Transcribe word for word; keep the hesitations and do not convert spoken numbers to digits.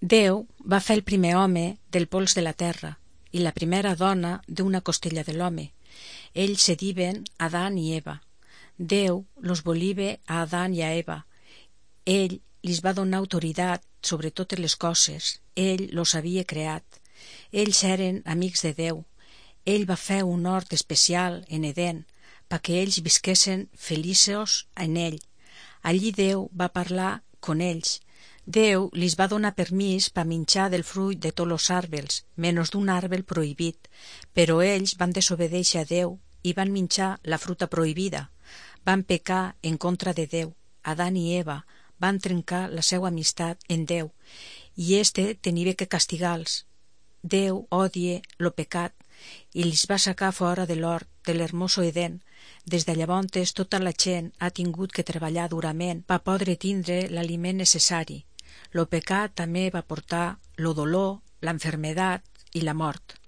Déu va fer el primer home del pols de la terra i la primera dona d'una costella de l'home. Ells se diuen Adán i Eva. Déu los voliva a Adán i a Eva. Ell lis va donar autoritat sobre totes les coses. Ell los havia creat. Ells eren amics de Déu. Ell va fer un hort especial en Edén perquè ells visquessin feliços en ell. Allí Déu va parlar con ells. Déu lis va donar permís pa minxar del fruit de tots los arbres, menys d'un arbre prohibit, però ells van desobedèixer a Déu i van minxar la fruta prohibida. Van pecar en contra de Déu. Adán i Eva van trencar la seva amistat en Déu i este tenia que castigar-los. Déu odia lo pecat i lis va sacar fora de l'hort de l'hermoso Edén. Des de llavors tota la gent ha tingut que treballar durament per poder tindre l'aliment necessari. Lo pecat també va portar lo dolor, l'enfermedat i la mort.